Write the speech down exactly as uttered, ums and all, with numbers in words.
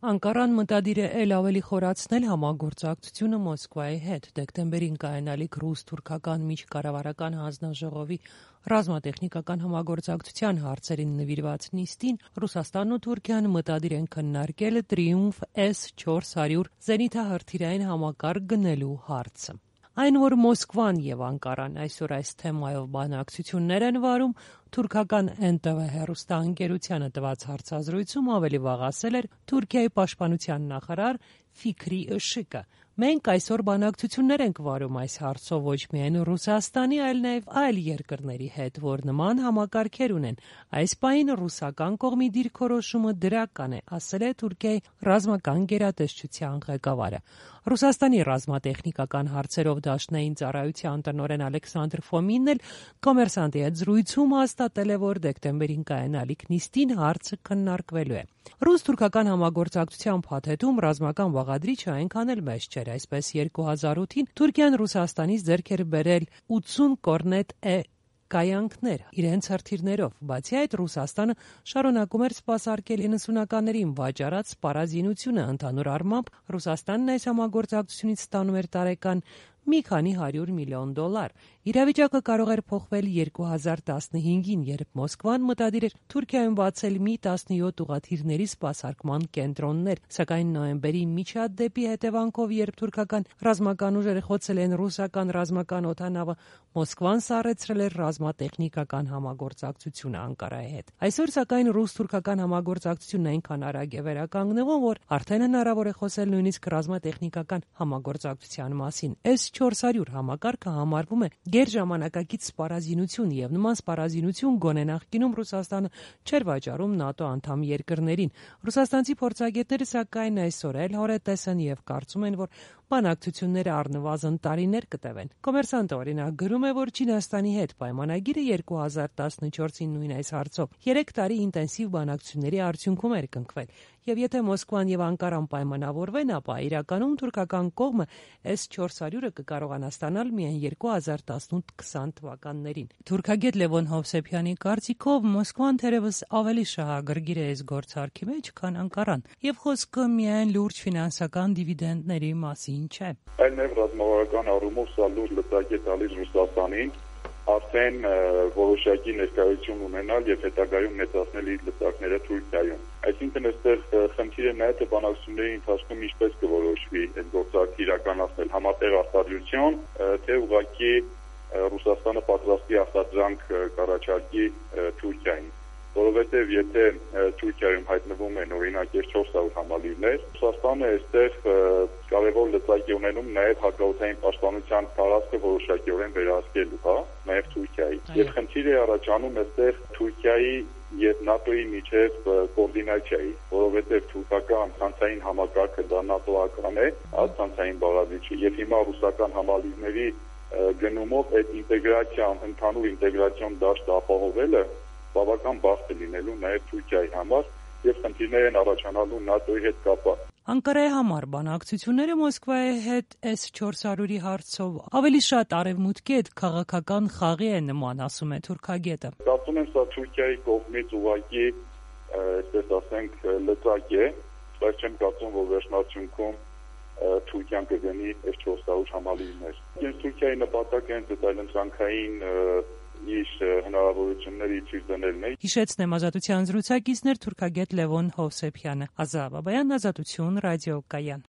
Անկարան մտադիր է էլ ավելի խորացնել համագործակցությունը Մոսկվայի հետ։ Դեկտեմբերին կայանալիք ռուս-թուրքական միջկառավարական հանձնաժողովի ռազմատեխնիկական համագործակցության հարցերին նվիրված նիստին Ռուսաստանն ու Թուրքիան մտադիր են քննարկել Տրիումֆ էս չորս հարյուր զենիթահրթիռային համակարգ գնելու հարցը։ Այն, որ Մոսկվան եւ Անկարան այսօր այս թեմայով բանակցություններ են վարում, թուրքական Էն Տե Վե հեռուստաընկերությանը տված հարցազրույցում ավելի վաղ ասել էր Թուրքիայի պաշտպանության նախարար Ֆիքրի Ըշիկը։ Մենք այսօր բանակցություններ ենք վարում այս հարցով ոչ միայն Ռուսաստանի, այլ նաև այլ երկրների հետ, որ նման համակարգեր ունեն։ Այս պահին ռուսական կողմի դիրքորոշումը դրական է, ասել է Թուրքիայի ռազմական գերատեսչության ղեկավարը։ Ռուսաստանի ռազմատեխնիկական հարցերով դաշնային ծառայության տնօրեն Ալեքսանդր Ֆոմինն էլ «Կոմերսանտի» հետ զրույցում հաստատել է, որ դեկտեմբերին կայանալիք նիստին հարցը քննարկվելու է։ Ռուս-թուրքական համագործակցության փաթեթում ռազմական բաղադրիչը այնքան էլ մեծ չէր, այսպես երկու հազար ութին Թուրքիան Ռուսաստանից ձեռք էր բերել ութսուն կորնետ Է կայանքներ իրենց հրթիռներով։ Բացի այդ, Ռուսաստանը շարունակում էր սպասարկել իննսունականներին վաճառած սպառազինությունը։ Ընդհանուր առմամբ Ռուսաստանն այս համագործակցությունից ստանում էր տարեկան մի քանի հարյուր միլիոն դոլար։ Իրավիճակը կարող էր փոխվել երկու հազար տասնհինգին, երբ Մոսկվան մտադիր էր Թուրքիայում բացել մի տասնյոթ ուղղաթիռների սպասարկման կենտրոններ, սակայն նոյեմբերի միջադեպի հետևանքով, երբ թուրքական ռազմական ուժերը խոցել են ռուսական ռազմական օդանավը, Մոսկվան սառեցրել էր ռազմատեխնիկական համագործակցությունը Անկարայի հետ։ Այսօր, սակայն, ռուս-թուրքական համագործակցությունն այնքան արագ է վերականգնվում, որ արդեն հնարավոր է խոսել նույնիսկ ռազմատեխնիկական համագործակցության մասին։ Էս չորս հարյուր համակարգը համարվում է գերժամանակակից սպառազինություն եւ նման սպառազինություն գոնե նախկինում Ռուսաստանը չէր վաճառում ՆԱՏՕ անդամ երկրներին։ Ռուսաստանցի փորձագետները սակայն այսօր էլ հորետես են եւ կարծում են, որ բանակցությունները առնվազն տարիներ կտևեն։ Կոմերսանտը օրինակ գրում է, որ Չինաստանի հետ պայմանագիրը երկու հազար տասնչորսին նույն այս հարցով երեք տարի ինտենսիվ բանակցությունների արդյունքում էր կնքվել։ Եվ եթե Մոսկվան եւ Անկարան պայմանավորվեն, ապա իրականում թուրքական կողմը Էս չորս հարյուրը կկարողանա ստանալ միայն երկու հազար տասնութ քսան թվականներին։ Թուրքագետ Լևոն Հովսեփյանի կարծիքով Մոսկվան թերևս ավելի շահագրգիր է այս գործարքի մեջ, քան Անկարան, եւ խոսքը միայն լուրջ ֆինանսական դիվիդենդների մասին չէ։ Այլ նաև ռազմավարական առումով սա լուրջ լծակ է տալիս Ռուսաստանին արդեն որոշակի ներկայություն ունենալ եւ հետագայում մեծացնել իր լծակները Թուրքիայում։ Այսինքն այստեղ խնդիրը նա է, թե բանակցությունների ընթացքում ինչպես կորոշվի այդ գործարքը իրականացնել, համատեղ արտադրություն, թե ուղղակի Ռուսաստանը պատրաստի արտադրանք կառաջարկի Թուրքիային։ Որովհետև եթե Թուրքիայում հայտնվում են օրինակ չորս հարյուր համալիրներ, Ռուսաստանը այստեղ կարևոր լծակ է ունենում նաև հակաօդային պաշտպանության տարածքը որոշակիորեն վերահսկելու, հա, նաև Թուրքիայի։ Եվ խնդիր է առաջանում այստեղ Թուրքիայի եւ ՆԱՏՕ-ի միջև կոորդինացիայի, որովհետև թուրքական ցանցային համակարգը դա ՆԱՏՕ-ական է, հա, ցանցային բաղադրիչը, եւ հիմա ռուսական համալիրների գնումով այդ ինտեգրացիան, ընդհանուր ինտեգրացիոն դաշտը ապահովելը բավական բարդ է լինելու նաև Թուրքիայի համար եւ խնդիրներ են առաջանալու ՆԱՏՕ-ի հետ կապված։ Անկարայի համար բանակցությունները Մոսկվայի հետ Էս չորս հարյուրի հարցով ավելի շատ արևմուտքի հետ քաղաքական խաղի է նման, ասում է թուրքագետը։ Կարծում եմ սա Թուրքիայի կողմից ուղղակի, այսպես ասենք, լծակ է, բայց չեմ կարծում, որ վերջնարդյունքում Թուրքիան կգնի Էս չորս հարյուր համալիրներ։ Ես Թուրքիայի նպատակը հենց այդ այլընտրանքային իր հնարավորությունների ցույց դնելն է։ Հիշեցնեմ ազատության զրուցակիցներ թուրքագետ Լևոն Հովսեփյանը։ Ազա Բաբայան, Ազատություն, Ռադիո Կայան։